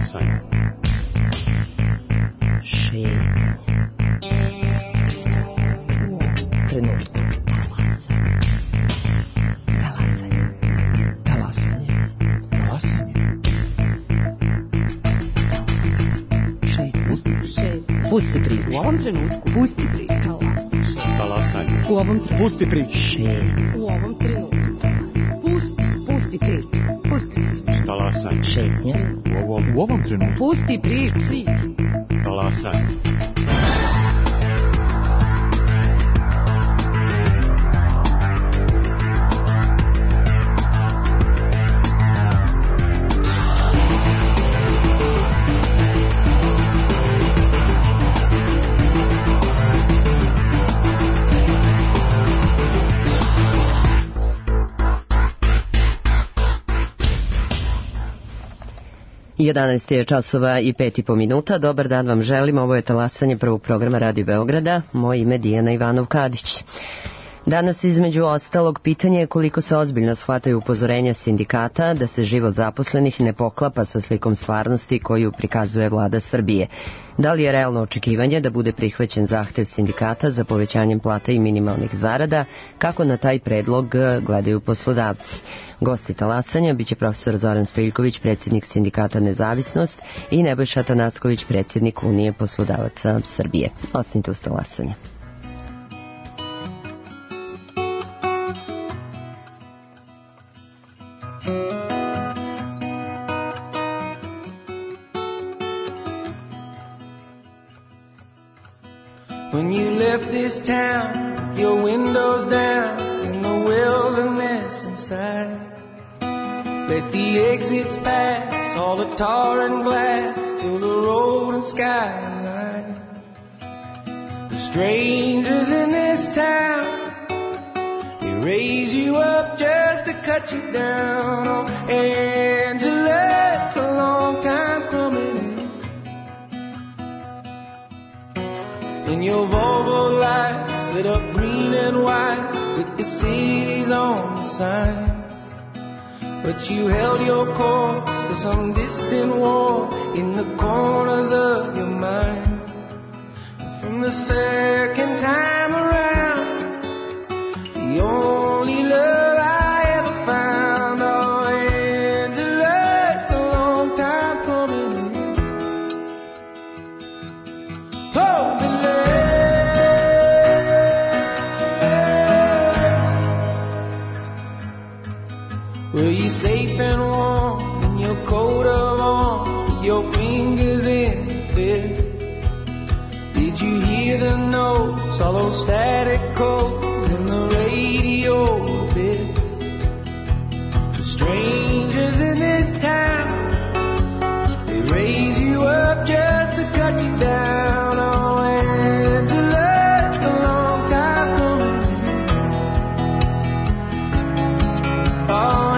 Talasanje. Šetnja. Trenutku. Pusti priču. U ovom trenutku. Pusti priču. Talasanje. U ovom trenutku. Pusti priču. Šetnja. U ovom trenutku. Pusti priču. Pusti priču. Talasanje. Šetnja. U ovom trenutku. Pusti priču. Talasanje. I 11 je časova i 5,5 minuta. Dobar dan vam želim. Ovo je talasanje prvog programa Radio Beograda. Moje ime je Dijana Ivanov-Kadić. Danas između ostalog pitanje je koliko se ozbiljno shvataju upozorenja sindikata da se život zaposlenih ne poklapa sa slikom stvarnosti koju prikazuje vlada Srbije. Da li je realno očekivanje da bude prihvaćen zahtev sindikata za povećanjem plata i minimalnih zarada, kako na taj predlog gledaju poslodavci? Gosti talasanja biće profesor Zoran Stojiljković, predsjednik sindikata Nezavisnost, i Nebojša Tanacković, predsjednik Unije poslodavaca Srbije. Ostanite uz talasanje. When you left this town with your windows down in the wilderness inside, let the exits pass, all the tar and glass, till the road and sky align. The strangers in this town, they raise you up just to cut you down. Oh, Angela, it's a long time coming in. And your Volvo lights lit up green and white with the city's own signs. But you held your course to some distant war in the corners of your mind. From the second time around, the only love I ever found. Oh, Angela, it's a long time coming in. Oh, were you safe and warm in your coat of arms, with your fingers in the fist? Did you hear the notes, all those static codes in the radio bit? The strangers in this town, they raise you up just to cut you down. Oh, Angela, it's a long time coming. Oh,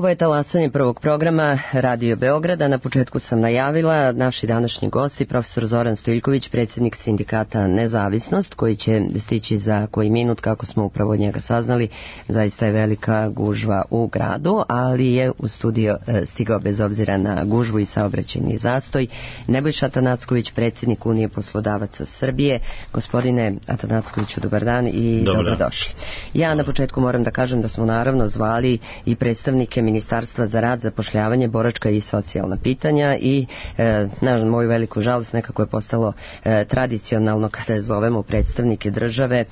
Ovo je talasanje prvog programa Radio Beograda. Na početku sam najavila naši današnji gosti, profesor Zoran Stojiljković, predsjednik sindikata Nezavisnost, koji će stići za koji minut, kako smo upravo od njega saznali. Zaista je velika gužva u gradu, ali je u studio stigao bez obzira na gužvu i saobraćajni zastoj Nebojša Atanacković, predsjednik Unije poslodavaca Srbije. Gospodine Atanackoviću, dobar dan i dobrodošli. Ja na početku moram da kažem da smo naravno zvali i predstavnike Ministarstva za rad, zapošljavanje, boračka i socijalna pitanja i na moju veliku žalost nekako je postalo tradicionalno kada zovemo predstavnike države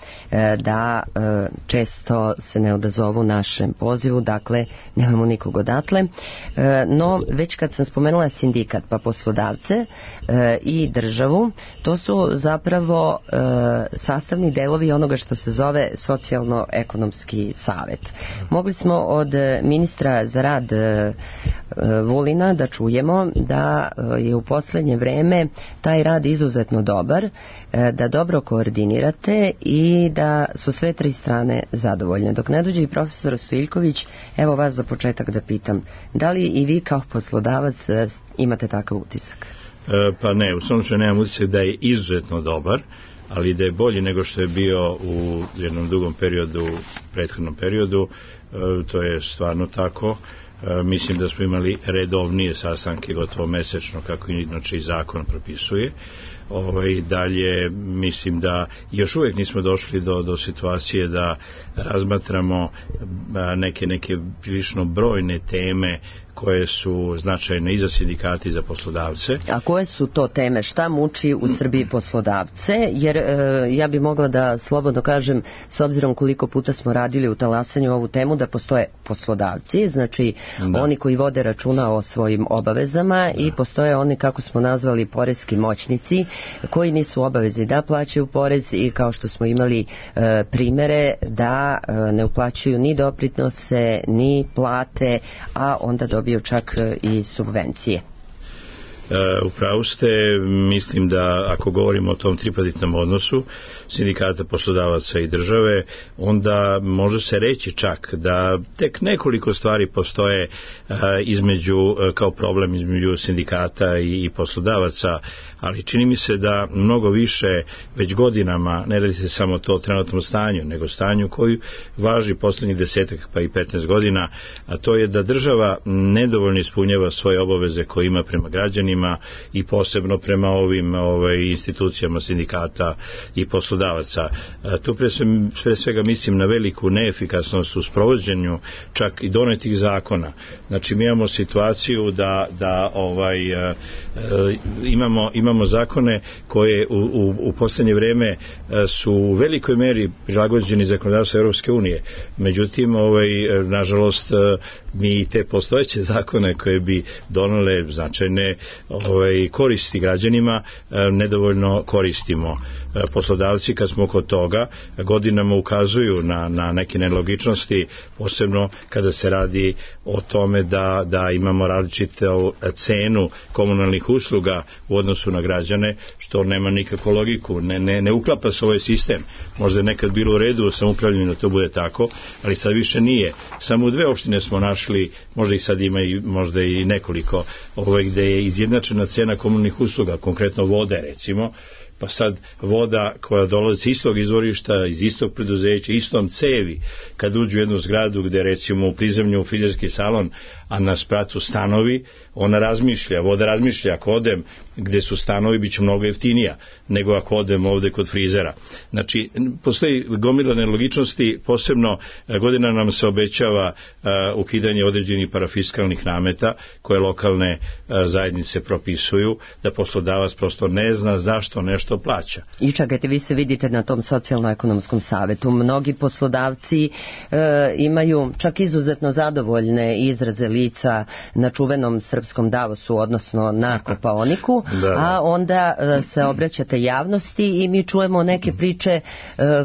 da često se ne odazovu našem pozivu, dakle nemamo nikog odatle. No već kad sam spomenula sindikat pa poslodavce i državu, to su zapravo sastavni delovi onoga što se zove socijalno-ekonomski savet. Mogli smo od ministra za rad Vulina da čujemo da je u posljednje vreme taj rad izuzetno dobar, da dobro koordinirate i da su sve tri strane zadovoljne. Dok ne dođe i profesor Stojiljković, evo vas za početak da pitam, da li i vi kao poslodavac imate takav utisak? Pa ne, u svom slučaju nemam utisak da je izuzetno dobar, ali da je bolji nego što je bio u jednom dugom periodu, prethodnom periodu, to je stvarno tako. Mislim da smo imali redovnije sastanke, gotovo mesečno, kako inače i zakon propisuje. Dalje mislim da još uvijek nismo došli do situacije da razmatramo neke prilično brojne teme koje su značajne i za sindikate i za poslodavce. A koje su to teme? Šta muči u Srbiji poslodavce? Jer ja bi mogla da slobodno kažem, s obzirom koliko puta smo radili u talasanju ovu temu, da postoje poslodavci, znači oni koji vode računa o svojim obavezama i postoje oni, kako smo nazvali, poreski moćnici, koji nisu obavezi da plaćaju porez i kao što smo imali primere da ne uplaćuju ni doprinose, ni plate, a onda dobiju čak i subvencije. Upravo ste, mislim da ako govorimo o tom tripartitnom odnosu sindikata, poslodavaca i države, onda može se reći čak da tek nekoliko stvari postoje kao problem između sindikata i poslodavaca, ali čini mi se da mnogo više već godinama, ne radi se samo to trenutnom stanju, nego stanju koji važi posljednjih 10 pa i 15 godina, a to je da država nedovoljno ispunjava svoje obaveze koje ima prema građanima i posebno prema ovim institucijama sindikata i poslodavaca. Tu pre svega mislim na veliku neefikasnost u sprovođenju čak i donetih zakona. Znači mi imamo situaciju da imamo zakone koje u posljednje vreme su u velikoj meri prilagođeni zakonodavstvu Europske unije. Međutim, nažalost, mi te postojeće zakone koje bi donele značajne koristi građanima nedovoljno koristimo. Poslodavci, kad smo kod toga, godinama ukazuju na neke nelogičnosti, posebno kada se radi o tome da imamo različitu cenu komunalnih usluga u odnosu na građane, što nema nikakvu logiku, ne uklapa se ovaj sistem. Možda je nekad bilo u redu u samoupravljanju da to bude tako, ali sad više nije. Samo u 2 opštine smo našli, možda ih sad ima možda i nekoliko, gde je izjednačena cena komunalnih usluga, konkretno vode recimo, pa sad voda koja dolazi iz istog izvorišta, iz istog preduzeća, istom cevi, kad uđu u jednu zgradu gde recimo u prizemlju frizerski salon, a na spratu stanovi, voda razmišlja, ako odem gde su stanovi bit će mnogo jeftinija nego ako odem ovde kod frizera. Znači, postoji gomila nelogičnosti, posebno godina nam se obećava ukidanje određenih parafiskalnih nameta koje lokalne zajednice propisuju, da poslodavac prosto ne zna zašto nešto plaća. I čekajte, vi se vidite na tom socijalno-ekonomskom savetu. Mnogi poslodavci imaju čak izuzetno zadovoljne izraze lica na čuvenom srpskom Davosu, odnosno na Kopaoniku, a onda se obraćate javnosti i mi čujemo neke priče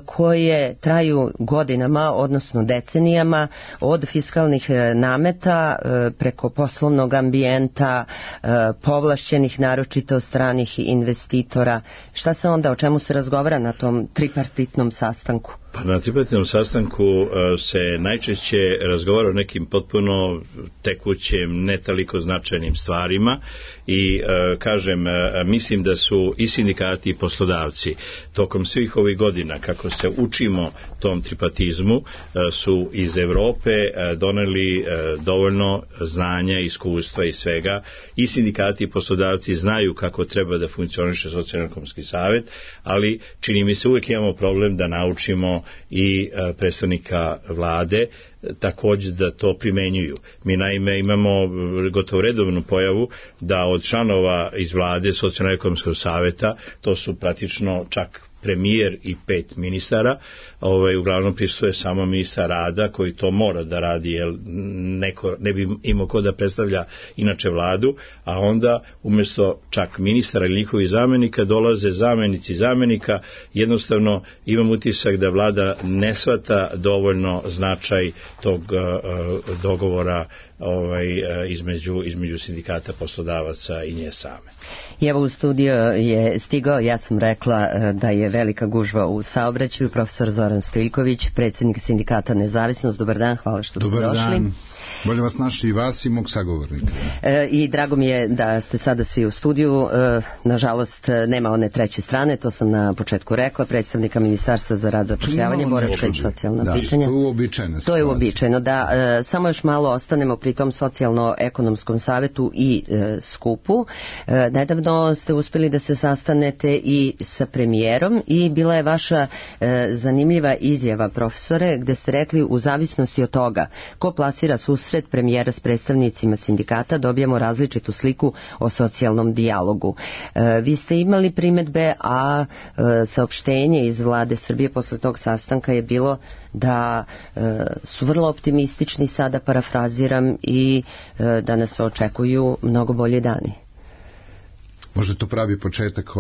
koje traju godinama, odnosno decenijama, od fiskalnih nameta preko poslovnog ambijenta, povlašćenih naročito stranih investitora. Šta se onda, o čemu se razgovara na tom tripartitnom sastanku? Pa na tripartitnom sastanku se najčešće razgovara o nekim potpuno tekućim, ne toliko značajnim stvarima i kažem, mislim da su i sindikati i poslodavci tokom svih ovih godina, kako se učimo tom tripartizmu, su iz Evrope doneli dovoljno znanja, iskustva i svega. I sindikati i poslodavci znaju kako treba da funkcioniše socijalno-ekonomski savet, ali čini mi se uvijek imamo problem da naučimo i predstavnika vlade također da to primenjuju. Mi naime imamo gotovo redovnu pojavu da od članova iz vlade socijalno-ekonomskog saveta, to su praktično čak premijer i 5 ministara, uglavnom prisutuje samo ministar rada koji to mora da radi jer neko ne bi imao ko da predstavlja inače vladu, a onda umjesto čak ministara ili njihovih zamenika dolaze zamenici zamenika. Jednostavno imam utisak da vlada ne shvata dovoljno značaj tog dogovora između sindikata, poslodavaca i nje same. I evo u studio je stigao, ja sam rekla da je velika gužva u saobraćaju, profesor Zoran Stojiljković, predsjednik sindikata Nezavisnost. Dobar dan, hvala što ste došli. Dobar dan. Bolje vas naši i vas i mog sagovornika. I drago mi je da ste sada svi u studiju. Nažalost, nema one treće strane, to sam na početku rekla, predstavnika Ministarstva za rad, zapošljavanje, boračka i socijalna pitanja. To je uobičajeno. To je uobičajeno, da. Samo još malo ostanemo pri tom socijalno-ekonomskom savetu i skupu. Nedavno ste uspjeli da se sastanete i sa premijerom i bila je vaša zanimljiva izjava, profesore, gde ste rekli u zavisnosti od toga ko plasira susret premijera s predstavnicima sindikata dobijamo različitu sliku o socijalnom dijalogu. Vi ste imali primedbe, a saopštenje iz vlade Srbije posle tog sastanka je bilo da su vrlo optimistični, sada parafraziram, i da nas očekuju mnogo bolji dani. Možda to pravi početak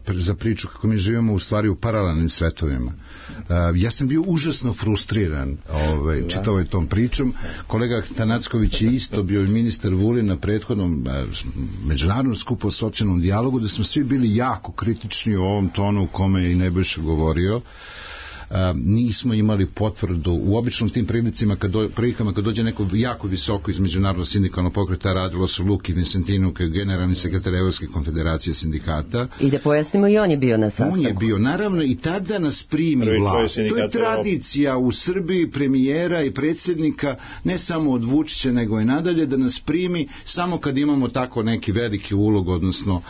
za priču kako mi živimo u stvari u paralelnim svetovima. Ja sam bio užasno frustriran čitavom tom pričom. Kolega Tanacković je isto bio ministar Vulin na prethodnom međunarodnom skupu o socijalnom dijalogu, da smo svi bili jako kritični u ovom tonu u kome je i Nebojša govorio. Nismo imali potvrdu u običnom tim prilikama kad dođe neko jako visoko iz međunarodnog sindikalnog pokreta, radilo su Luki Vincentinu kao generalni sekretar Evropske konfederacije sindikata. I da pojasnimo, i on je bio na sastanku. On je bio, naravno, i tada nas primi vlast. To je tradicija u Srbiji premijera i predsjednika, ne samo od Vučića nego i nadalje, da nas primi samo kad imamo tako neki veliki ulog, odnosno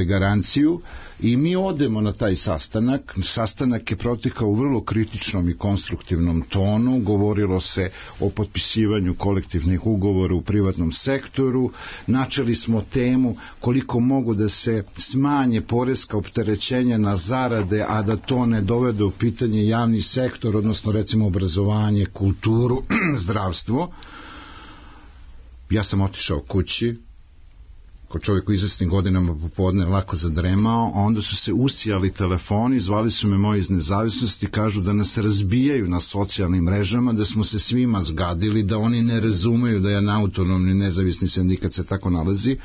garanciju. I mi odemo na taj sastanak. Sastanak je protekao u vrlo kritičnom i konstruktivnom tonu. Govorilo se o potpisivanju kolektivnih ugovora u privatnom sektoru. Načeli smo temu koliko mogu da se smanje poreska opterećenja na zarade, a da to ne dovede u pitanje javni sektor, odnosno recimo obrazovanje, kulturu, zdravstvo. Ja sam otišao kući. Ko čovjek u izvesnim godinama popodne lako zadremao, a onda su se usijali telefoni, zvali su me moji iz Nezavisnosti, kažu da nas razbijaju na socijalnim mrežama, da smo se svima zgadili, da oni ne razumeju da je na autonomni nezavisni sindikat se tako nalazi.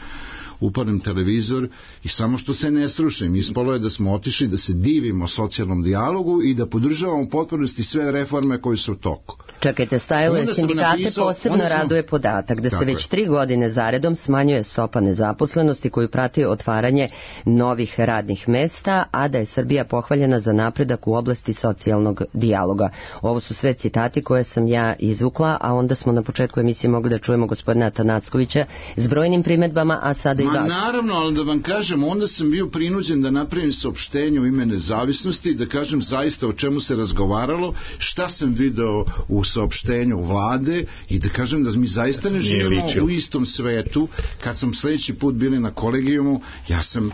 Upalim televizor i samo što se ne srušim. Ispalo je da smo otišli da se divimo socijalnom dijalogu i da podržavamo u potpunosti sve reforme koje su u toku. Čekajte, stajalo sindikate posebno raduje podatak da se već 3 godine zaredom smanjuje stopa nezaposlenosti koju prati otvaranje novih radnih mesta, a da je Srbija pohvaljena za napredak u oblasti socijalnog dijaloga. Ovo su sve citati koje sam ja izvukla, a onda smo na početku emisije mogli da čujemo gospodina Tanackovića s brojnim primedbama, a sada i vas. Naravno, ali da vam kažem, onda sam bio prinuđen da napravim saopštenje u ime Nezavisnosti, da kažem zaista o čemu se razgovaralo, šta sam video u saopštenju vlade i da kažem da mi zaista ne živimo u istom svetu. Kad sam sljedeći put bili na kolegijumu, ja sam,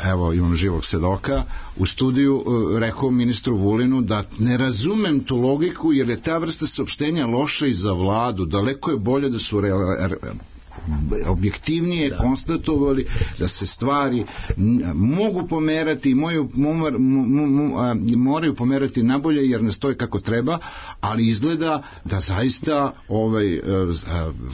evo imam živog svedoka, u studiju rekao ministru Vulinu da ne razumem tu logiku jer je ta vrsta saopštenja loša i za vladu. Daleko je bolje da su objektivnije konstatovali da se stvari mogu pomerati, moraju pomerati nabolje jer ne stoji kako treba, ali izgleda da zaista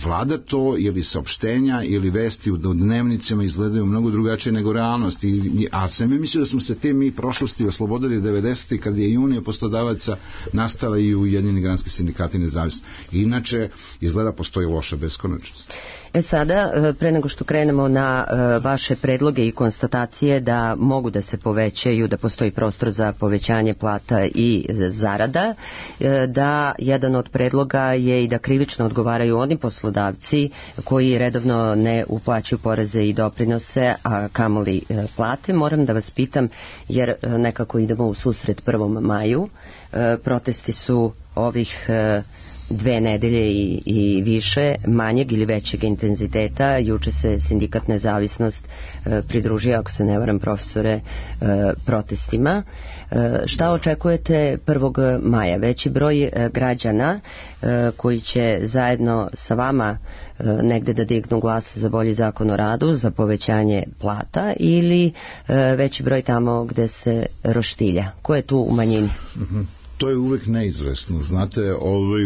vlada to ili saopštenja ili vesti u dnevnicama izgledaju mnogo drugačije nego realnost. A sam je mislio da smo se te mi prošlosti oslobodili 90. kad je i Unija poslodavaca nastala i Ujedinjeni granski sindikati nezavisni. Inače, izgleda postoji loša beskonačnost. Sada, pre nego što krenemo na vaše predloge i konstatacije da mogu da se povećaju, da postoji prostor za povećanje plata i zarada, da jedan od predloga je i da krivično odgovaraju oni poslodavci koji redovno ne uplaćuju poreze i doprinose, a kamoli plate. Moram da vas pitam, jer nekako idemo u susret 1. maju, protesti su ovih 2 nedelje i više manjeg ili većeg intenziteta. Juče se sindikat Nezavisnost pridružio, ako se ne varam, profesore, protestima. Šta očekujete 1. maja? Veći broj građana koji će zajedno sa vama negde da dignu glas za bolji zakon o radu, za povećanje plata, ili veći broj tamo gde se roštilja? Ko je tu u manjini? To je uvek neizvesno, znate,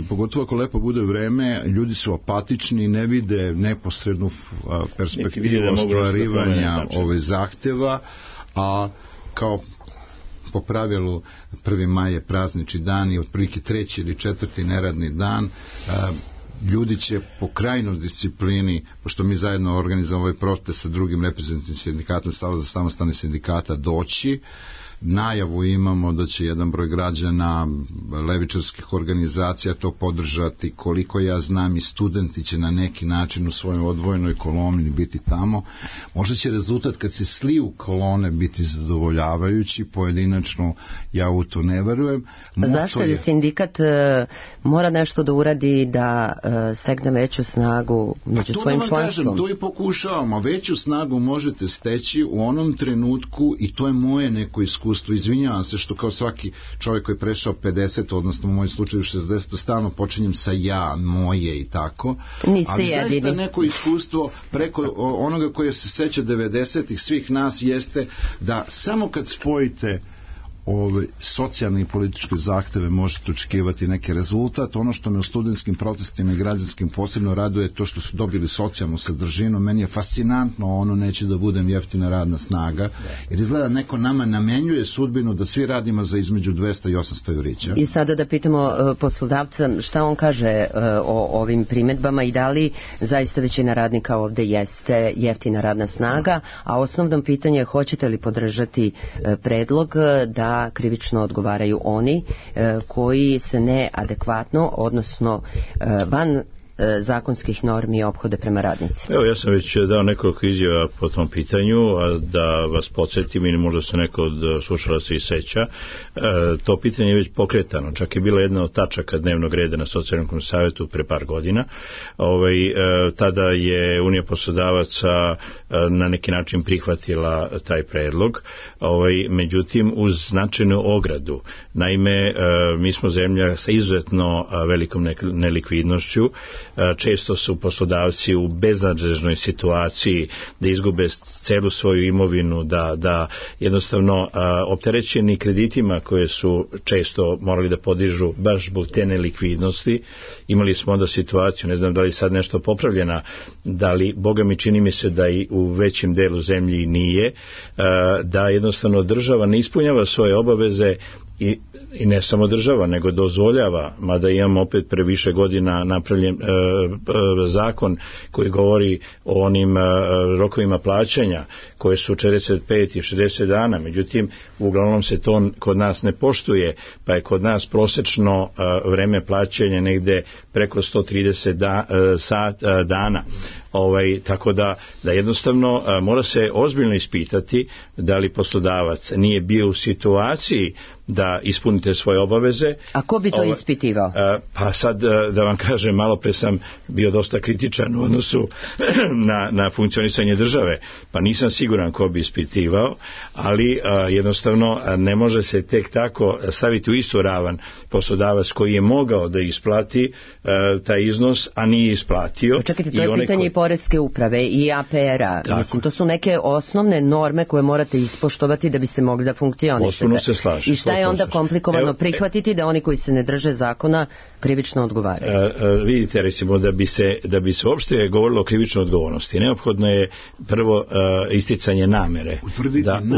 pogotovo ako lepo bude vreme, ljudi su apatični, ne vide neposrednu perspektivu ostvarivanja zahteva, a kao po pravilu 1. maj je praznični dan i otprilike 3. ili 4. neradni dan, ljudi će po krajnoj disciplini, pošto mi zajedno organizujemo ovaj protest sa drugim reprezentativnim sindikatom Saveza samostalnih sindikata, doći. Najavu imamo da će jedan broj građana levičarskih organizacija to podržati, koliko ja znam i studenti će na neki način u svojoj odvojenoj koloni biti tamo. Možda će rezultat kad se sliju kolone biti zadovoljavajući, pojedinačno ja u to ne verujem. Zašto je sindikat mora nešto da uradi da stegne veću snagu među svojim članstvom? To i pokušavamo. Veću snagu možete steći u onom trenutku, i to je moje neko iskustvo. Izvinjavam se što kao svaki čovjek koji je prešao 50, odnosno u mojem slučaju 60, stalno počinjem sa ja, moje i tako. Ali zaista neko iskustvo preko onoga koje se seća 90-ih svih nas jeste da samo kad spojite socijalne i političke zahteve možete očekivati neki rezultat. Ono što me u studentskim protestima i građanskim posebno raduje je to što su dobili socijalnu sadržinu. Meni je fascinantno, ono neće da budem jeftina radna snaga, jer izgleda neko nama namenjuje sudbinu da svi radimo za između 200 i 800 evrića. I sada da pitamo poslodavca šta on kaže o ovim primedbama i da li zaista većina radnika ovde jeste jeftina radna snaga, a osnovno pitanje je hoćete li podržati predlog da krivično odgovaraju oni koji se neadekvatno, odnosno van zakonskih normi ophode prema radnici. Evo, ja sam već dao nekoliko izjava po tom pitanju, a da vas podsjetim ili možda se neko od slušalaca i seća. To pitanje je već pokretano. Čak je bila jedna od tačaka dnevnog reda na socijalnom savjetu pre par godina. Tada je Unija poslodavaca na neki način prihvatila taj predlog. Međutim, uz značajnu ogradu. Naime, mi smo zemlja sa izuzetno velikom nelikvidnošću. Često su poslodavci u beznadežnoj situaciji da izgube celu svoju imovinu, da jednostavno opterećeni kreditima koje su često morali da podižu baš zbog te nelikvidnosti. Imali smo onda situaciju, ne znam da li sad nešto popravljena, da li, Boga mi čini mi se da i u većem delu zemlji nije, da jednostavno država ne ispunjava svoje obaveze i ne samo država, nego dozvoljava, mada imamo opet pre više godina napravljen zakon koji govori o onim rokovima plaćanja koje su 45 i 60 dana, međutim uglavnom se to kod nas ne poštuje, pa je kod nas prosečno vreme plaćanja negde preko 130 dana. Tako da jednostavno mora se ozbiljno ispitati da li poslodavac nije bio u situaciji da ispunite svoje obaveze. A ko bi to ispitivao? Pa sad da vam kažem, malo pre sam bio dosta kritičan u odnosu na funkcionisanje države, pa nisam siguran ko bi ispitivao, ali jednostavno ne može se tek tako staviti u istu ravan poslodavac koji je mogao da isplati taj iznos, a nije isplatio. Čekajte, to je pitanje i poreske uprave i APR-a. Mislim, to su neke osnovne norme koje morate ispoštovati da biste mogli da funkcionišete. I šta je onda komplikovano prihvatiti da oni koji se ne drže zakona krivično odgovaraju? Vidite, recimo, da bi se uopšte govorilo o krivičnoj odgovornosti, neophodno je prvo isticanje namere.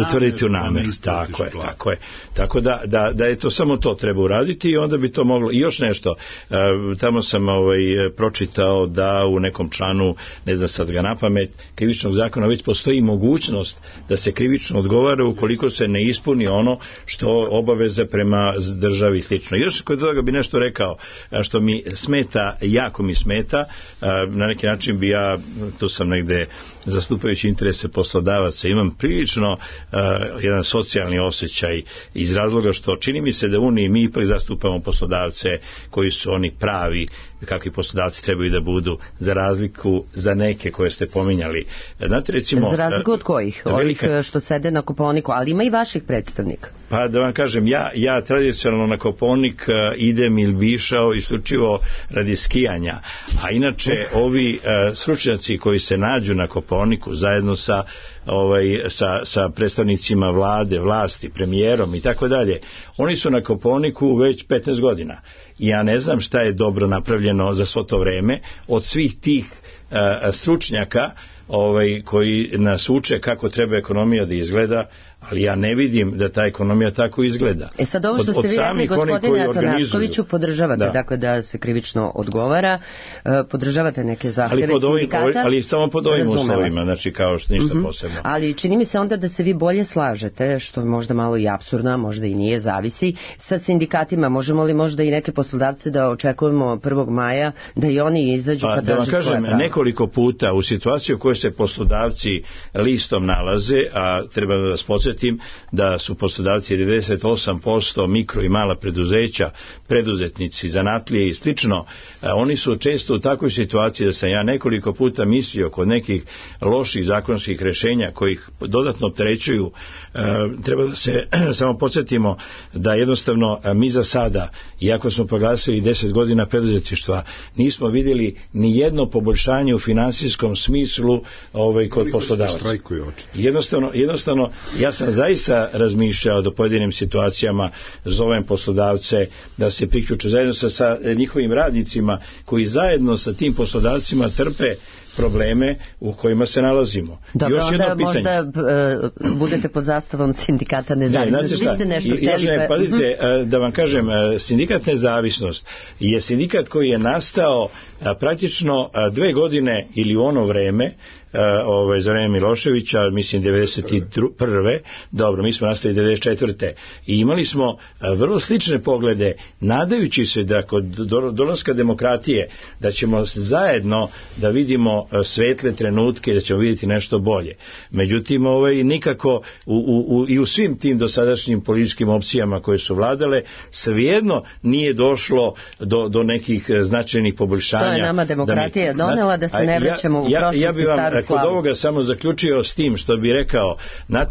Utvrditi u nameru. Tako je. Tako da je to samo to treba uraditi i onda bi to moglo. I još nešto, tamo sam pročitao da u nekom članu, ne znam sad ga napamet, krivičnog zakona već postoji mogućnost da se krivično odgovara ukoliko se ne ispuni ono što obaveze prema državi i slično. Još kod toga bi nešto rekao što mi smeta, jako mi smeta, na neki način bi ja, tu sam negde zastupajući interese poslodavaca, imam prilično jedan socijalni osjećaj iz razloga što čini mi se da u Uniji mi ipak zastupamo poslodavce koji su oni pravi, kakvi poslodavci trebaju da budu, za razliku za neke koje ste pominjali. Znate, recimo, za razliku od kojih? Ovih što sede na Kopaoniku, ali ima i vaših predstavnika. Pa da vam kažem, ja tradicionalno na Kopaonik idem ili bi išao isključivo radi skijanja, a inače ovi stručnjaci koji se nađu na Kopaoniku zajedno sa predstavnicima vlade, vlasti, premijerom i tako dalje, oni su na Kopaoniku već 15 godina. Ja ne znam šta je dobro napravljeno za svo to vreme od svih tih stručnjaka koji nas uče kako treba ekonomija da izgleda, ali ja ne vidim da ta ekonomija tako izgleda. Sad ovo što ste vi rekli, gospodine Atanackoviću, podržavate dakle da se krivično odgovara, podržavate neke zahteve sindikata, ali samo pod ovim uslovima, znači kao što ništa posebno. Ali čini mi se onda da se vi bolje slažete, što je možda malo i apsurdno, možda i nije, zavisi, sa sindikatima. Možemo li možda i neke poslodavce da očekujemo 1. maja da i oni izađu pa da vam kažem, nekoliko puta u situaciju u kojoj se poslodavci listom nalaze, a treba da vas podsjetim da su poslodavci 98% mikro i mala preduzeća, preduzetnici, zanatlije i slično, oni su često u takvoj situaciji da sam ja nekoliko puta mislio kod nekih loših zakonskih rješenja koji ih dodatno opterećuju. Treba da se samo podsjetimo da jednostavno mi za sada, iako smo proglasili 10 godina preduzetništva, nismo vidjeli ni jedno poboljšanje u finansijskom smislu kod poslodavaca. Jednostavno, ja sam zaista razmišljao do pojedinim situacijama, zovem poslodavce da se priključe zajedno sa njihovim radnicima koji zajedno sa tim poslodavcima trpe probleme u kojima se nalazimo. Dobro, onda možda budete pod zastavom sindikata nezavisnosti. Pazite, da vam kažem, sindikat nezavisnost je sindikat koji je nastao praktično 2 godine ili u ono vreme, za vreme Miloševića, mislim 91. Dobro, mi smo nastali 94. I imali smo vrlo slične poglede, nadajući se da kod dolaska demokratije da ćemo zajedno da vidimo svetle trenutke, da ćemo vidjeti nešto bolje. Međutim, nikako i u svim tim dosadašnjim političkim opcijama koje su vladale, svejedno nije došlo do nekih značajnih poboljšanja. To je nama demokratija donela, da se ne vraćamo u prošlost i staru slavu. Kod ovoga samo zaključio s tim što bi rekao,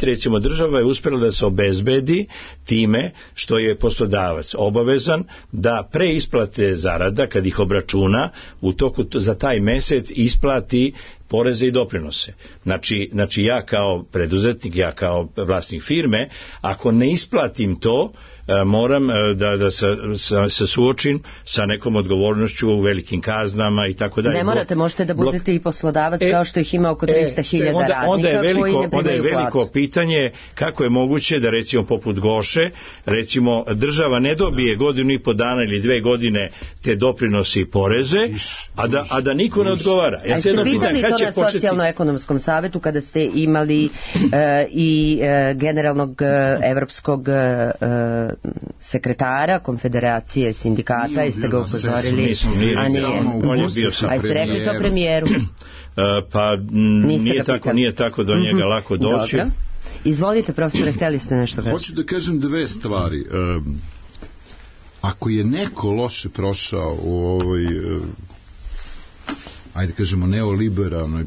recimo država je uspjela da se obezbedi time što je poslodavac obavezan da pre isplate zarada, kad ih obračuna, u toku za taj mjesec isplati poreze i doprinose. Znači ja kao preduzetnik, ja kao vlasnik firme, ako ne isplatim to, moram da se suočim sa nekom odgovornošću, velikim kaznama i tako dalje. Ne morate, možete da budete i poslodavac kao što ih ima oko 300.000 radnika onda je veliko pitanje kako je moguće da recimo poput Goše, recimo država ne dobije 1,5 dana ili 2 godine te doprinosi i poreze, a da niko ne odgovara. Ja se pitali to na socijalno-ekonomskom savjetu kada ste imali i generalnog evropskog sekretara Konfederacije sindikata, jeste ga upozorili, a jeste rekli to premijeru? Pa nije tako do njega lako doći. Dobro. Izvolite, profesore, htjeli ste nešto reći? Hoću da kažem 2 stvari. Ako je neko loše prošao u ovoj ajde kažemo neoliberalnoj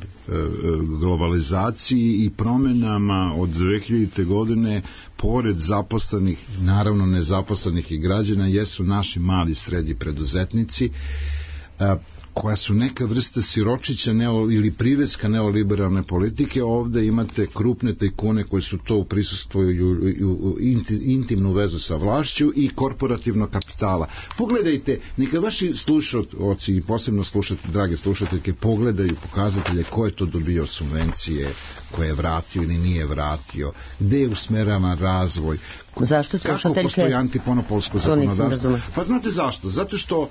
globalizaciji i promjenama od 2000. godine, pored zaposlenih, naravno nezaposlenih i građana, jesu naši mali srednji preduzetnici. koja su neka vrsta siročića ili priveska neoliberalne politike. Ovde imate krupne tajkune koji su to u prisustvu intimnu vezu sa vlašću i korporativnog kapitala. Pogledajte, neka vaši slušaoci i posebno drage slušateljke, pogledaju pokazatelje ko je to dobio subvencije, ko je vratio ili nije vratio, gde je usmeravan razvoj, kako postoji antimonopolsko zakonodavstvo. Pa znate zašto? Zato što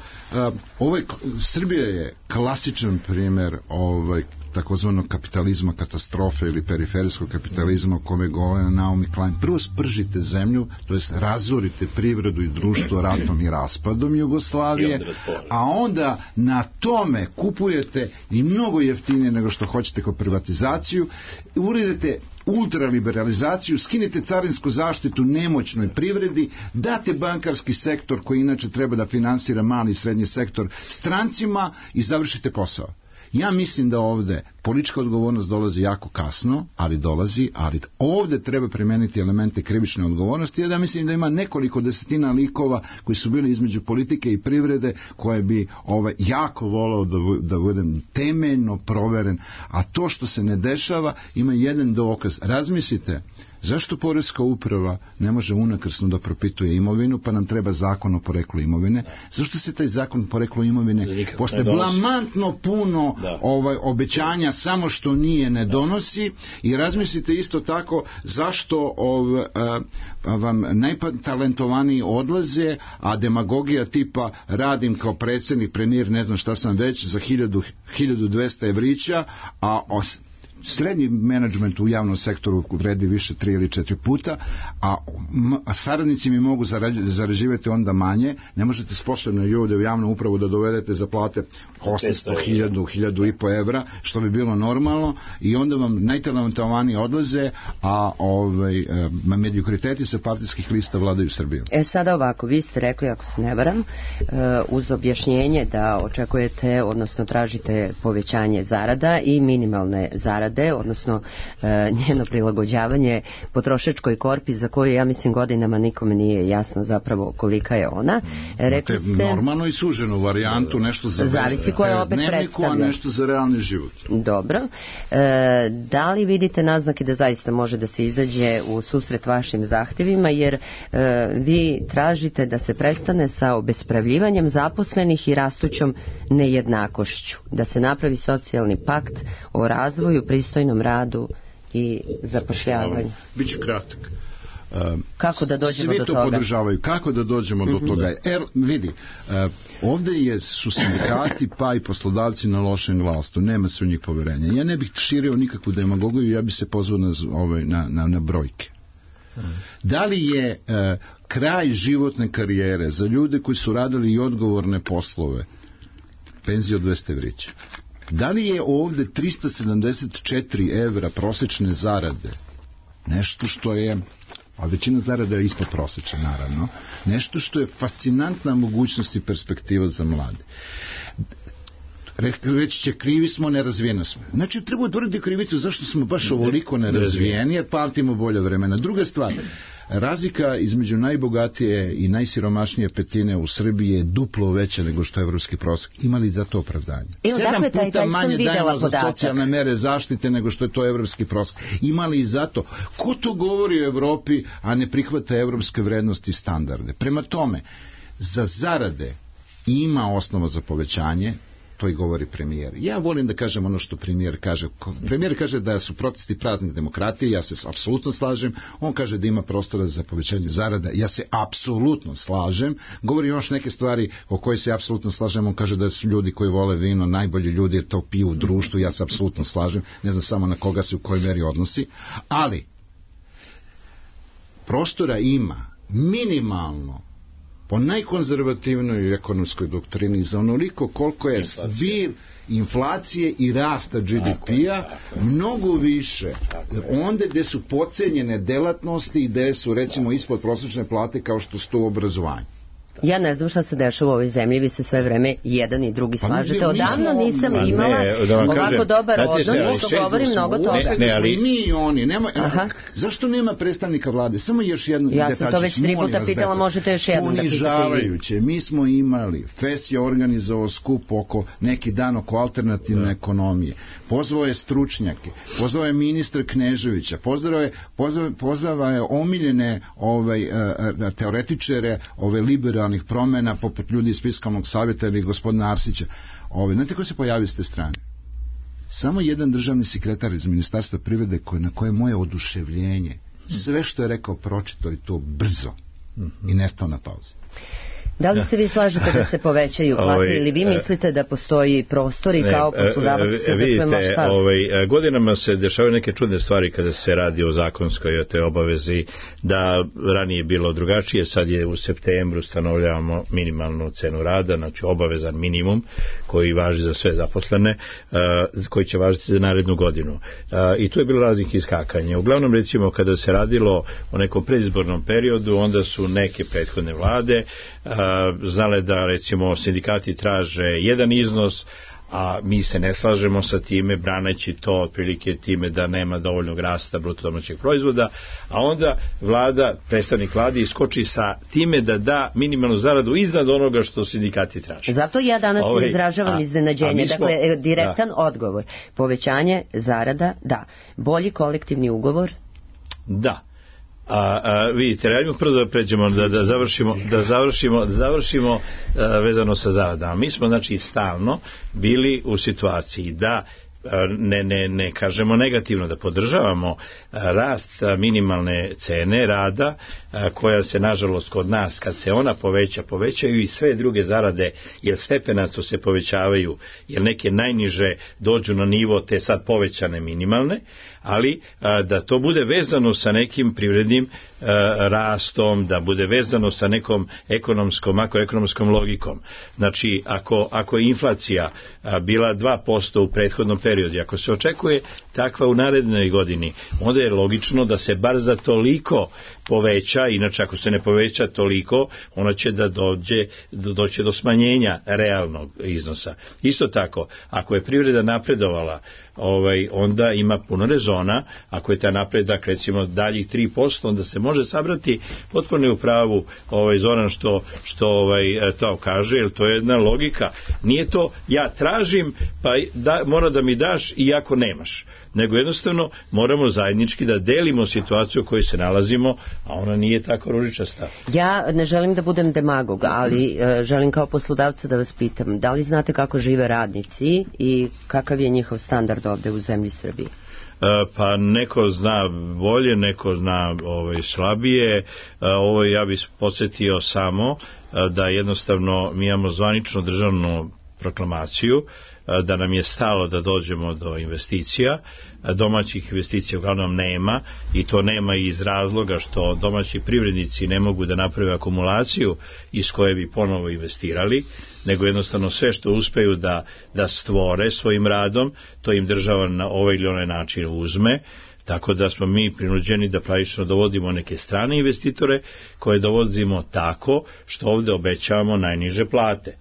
Srbija je klasičan primer takozvanog kapitalizma katastrofe ili periferijskog kapitalizma o kome govore Naomi Klein. Prvo spržite zemlju, to jest razorite privredu i društvo ratom i raspadom Jugoslavije, a onda na tome kupujete i mnogo jeftinije nego što hoćete kao privatizaciju, uredite ultraliberalizaciju, skinete carinsku zaštitu nemoćnoj privredi, date bankarski sektor koji inače treba da finansira mali i srednji sektor strancima i završite posao. Ja mislim da ovde politička odgovornost dolazi jako kasno, ali dolazi, ali ovde treba primeniti elemente krivične odgovornosti. Ja mislim da ima nekoliko desetina likova koji su bili između politike i privrede koje bi jako volao da budem temeljno proveren, a to što se ne dešava ima jedan dokaz. Razmislite, zašto poreska uprava ne može unakrsno da propituje imovinu, pa nam treba zakon o poreklu imovine? Zašto se taj zakon o poreklu imovine posle blamantno puno obećanja samo što nije ne donosi? I razmislite isto tako zašto vam najtalentovaniji odlaze, a demagogija tipa radim kao predsjednik, premijer, ne znam šta sam već, za 1200 evrića, a srednji menadžment u javnom sektoru vredi više 3 ili 4 puta, a saradnici mi mogu zarađivati onda manje. Ne možete sposobne ljude u javnu upravu da dovedete za plate 800, 1000, 1500 evra, što bi bilo normalno, i onda vam najtalentovaniji odlaze, a mediokriteti sa partijskih lista vladaju Srbijom. Sada ovako, vi ste rekli, ako se ne varam, uz objašnjenje da očekujete, odnosno tražite povećanje zarada i minimalne zarade, odnosno njeno prilagođavanje potrošačkoj korpi za koju, ja mislim, godinama nikome nije jasno zapravo kolika je ona. Rekli ste normalno i suženu varijantu, nešto za dnevniku, a nešto za realni život. Dobro. Da li vidite naznake da zaista može da se izađe u susret vašim zahtevima, jer vi tražite da se prestane sa obespravljivanjem zaposlenih i rastućom nejednakošću, da se napravi socijalni pakt o razvoju, pristojnom radu i zapošljavanju? Biću kratak. Kako da dođemo do toga? Svi to podržavaju. Kako da dođemo do toga? Vidi, ovde su sindikati pa i poslodavci na lošem glasu. Nema se u njih poverenja. Ja ne bih širio nikakvu demagogiju, ja bih se pozvao na brojke. Da li je kraj životne karijere za ljude koji su radili i odgovorne poslove penzija od 200 evrića? Da li je ovde 374 evra prosečne zarade nešto što je, a većina zarada je ispod prosečne, naravno, nešto što je fascinantna mogućnost i perspektiva za mlade? Reći će, krivi smo, nerazvijeni smo. Znači, treba utvrditi krivicu zašto smo baš ovoliko nerazvijeni, jer pamtimo bolje vremena. Druga stvar, razlika između najbogatije i najsiromašnije petine u Srbiji je duplo veća nego što je evropski prosek. Ima li za to opravdanje? 7 puta manje dajemo za socijalne mere zaštite nego što je to evropski prosek. Ima li i za to? Ko to govori o Evropi, a ne prihvata evropske vrednosti i standarde? Prema tome, za zarade ima osnova za povećanje, to i govori premijer. Ja volim da kažem ono što premijer kaže. Premijer kaže da su protesti praznik demokratije, ja se apsolutno slažem. On kaže da ima prostora za povećanje zarada, ja se apsolutno slažem. Govori još neke stvari o koje se apsolutno slažem. On kaže da su ljudi koji vole vino najbolji ljudi, jer to piju u društvu, ja se apsolutno slažem. Ne znam samo na koga se u kojoj meri odnosi. Ali prostora ima minimalno po najkonzervativnoj ekonomskoj doktrini za onoliko koliko je zbir inflacije i rasta GDP-a mnogo više onda gde su podcenjene delatnosti i gde su recimo ispod prosječne plate kao što su to u obrazovanju. Ja ne znam šta se dešava u ovoj zemlji, vi se sve vreme jedan i drugi slažete. Odavno nisam imala ovako dobar odnos, što govorim mnogo toga. Ali mi i oni, zašto nema predstavnika vlade? Samo još jedno detačić. Ja sam to već 3 puta pitala, možete još jednom da pitate. Ponižavajuće. Mi smo imali, FES je organizovao skup oko neki dan oko alternativne ekonomije. Pozvao je stručnjake, pozvao je ministra Kneževića, pozvao je omiljene teoretičare liberalnih promena, poput ljudi iz Fiskalnog savjeta ili gospodina Arsića. Znate ko se pojavio s te strane? Samo jedan državni sekretar iz Ministarstva privrede na koje je moje oduševljenje. Sve što je rekao pročitao i to brzo i nestao na pauzi. Da li se vi slažete da se povećaju plate ili vi mislite da postoji prostor i kao poslodavac se da čujemo šta? Godinama se dešavaju neke čudne stvari kada se radi o zakonskoj o te obavezi, da ranije bilo drugačije, sad je u septembru stanovljavamo minimalnu cenu rada, znači obavezan minimum koji važi za sve zaposlene, koji će važiti za narednu godinu. I tu je bilo raznih iskakanja. Uglavnom, recimo, kada se radilo o nekom predizbornom periodu, onda su neke prethodne vlade znale da, recimo, sindikati traže jedan iznos, a mi se ne slažemo sa time, braneći to otprilike time da nema dovoljnog rasta bruto domaćeg proizvoda, a onda vlada, predstavnik vlade iskoči sa time da da minimalnu zaradu iznad onoga što sindikati traže. Zato ja danas izražavam iznenađenje. Dakle, direktan odgovor. Povećanje zarada, da. Bolji kolektivni ugovor? Da. Vidite, radimo prvo da pređemo, da završimo vezano sa zaradama. Mi smo, znači, stalno bili u situaciji da ne kažemo negativno, da podržavamo rast minimalne cene rada, koja se, nažalost, kod nas, kad se ona povećaju i sve druge zarade, jer stepenasto se povećavaju, jer neke najniže dođu na nivo te sad povećane minimalne, ali da to bude vezano sa nekim privrednim rastom, da bude vezano sa nekom makroekonomskom logikom. Znači, ako je inflacija bila 2% u prethodnom periodu, ako se očekuje takva u narednoj godini, onda je logično da se bar za toliko poveća, inače ako se ne poveća toliko, ona će da doći do smanjenja realnog iznosa. Isto tako, ako je privreda napredovala, onda ima puno rezona, ako je ta napredak, recimo, daljih 3%, onda se može sabrati, potpuno je u pravu Zoran što to kaže, jer to je jedna logika. Nije to ja tražim, pa mora da mi daš iako nemaš, nego jednostavno moramo zajednički da delimo situaciju u kojoj se nalazimo, a ona nije tako ružičasta. Ja ne želim da budem demagog, ali želim kao poslodavca da vas pitam, da li znate kako žive radnici i kakav je njihov standard ovde u zemlji Srbiji? Pa neko zna bolje, neko zna slabije. Ja bih podsjetio samo da jednostavno mi imamo zvaničnu državnu proklamaciju da nam je stalo da dođemo do investicija. Domaćih investicija uglavnom nema, i to nema iz razloga što domaći privrednici ne mogu da naprave akumulaciju iz koje bi ponovo investirali, nego jednostavno sve što uspeju da stvore svojim radom, to im država na ovaj ili onaj način uzme. Tako da smo mi prinuđeni da pravično dovodimo neke strane investitore koje dovodimo tako što ovde obećavamo najniže plate.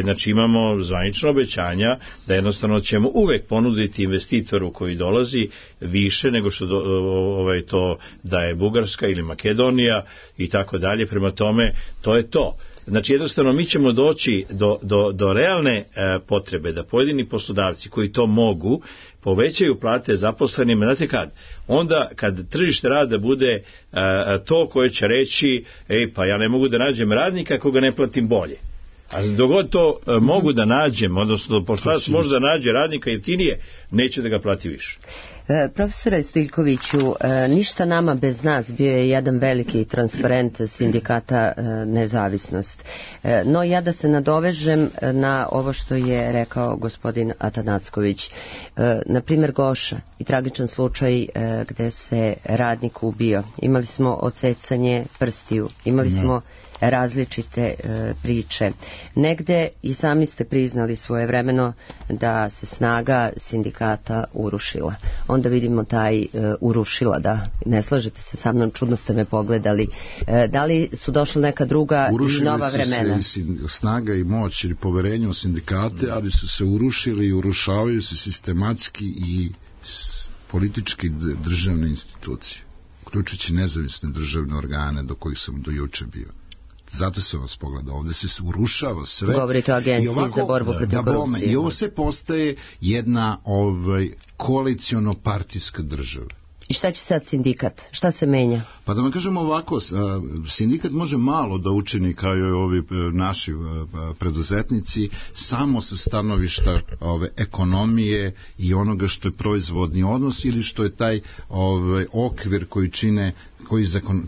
Znači imamo zvanično obećanja da jednostavno ćemo uvek ponuditi investitoru koji dolazi više nego što to daje Bugarska ili Makedonija i tako dalje. Prema tome, to je to. Znači jednostavno mi ćemo doći do realne potrebe da pojedini poslodavci koji to mogu povećaju plate zaposlenima. Znate kad? Onda kad tržište rada bude to koje će reći pa ja ne mogu da nađem radnika ako ga ne platim bolje. A dogod to mogu da nađem, odnosno poslodavac može da nađe radnika jeftinije, neće da ga plati više. Profesore Stojiljkoviću, ništa nama bez nas bio je jedan veliki transparent sindikata Nezavisnost. No ja da se nadovežem na ovo što je rekao gospodin Atanacković. Na primjer Goša i tragičan slučaj gde se radnik ubio. Imali smo odsecanje prstiju, imali smo različite priče. Negde i sami ste priznali svojevremeno da se snaga sindikata urušila. onda vidimo taj urušila, da, ne slažete se sa mnom, čudno ste me pogledali. Da li su došla neka druga i nova vremena? Urušili se snaga i moć ili poverenje u sindikate, ali su se urušili i urušavaju se sistematski i politički državne institucije, uključujući nezavisne državne organe do kojih sam do juče bio. Zato sam vas pogledao, ovdje se urušava sve. Govorite o agenciji za borbu protiv korupcije. I ovo se postaje jedna koaliciono-partijska država. I šta će sad sindikat? Šta se menja? Pa da vam kažem ovako, sindikat može malo da učini kao i ovi naši preduzetnici samo sa stanovišta ekonomije i onoga što je proizvodni odnos ili što je taj okvir koji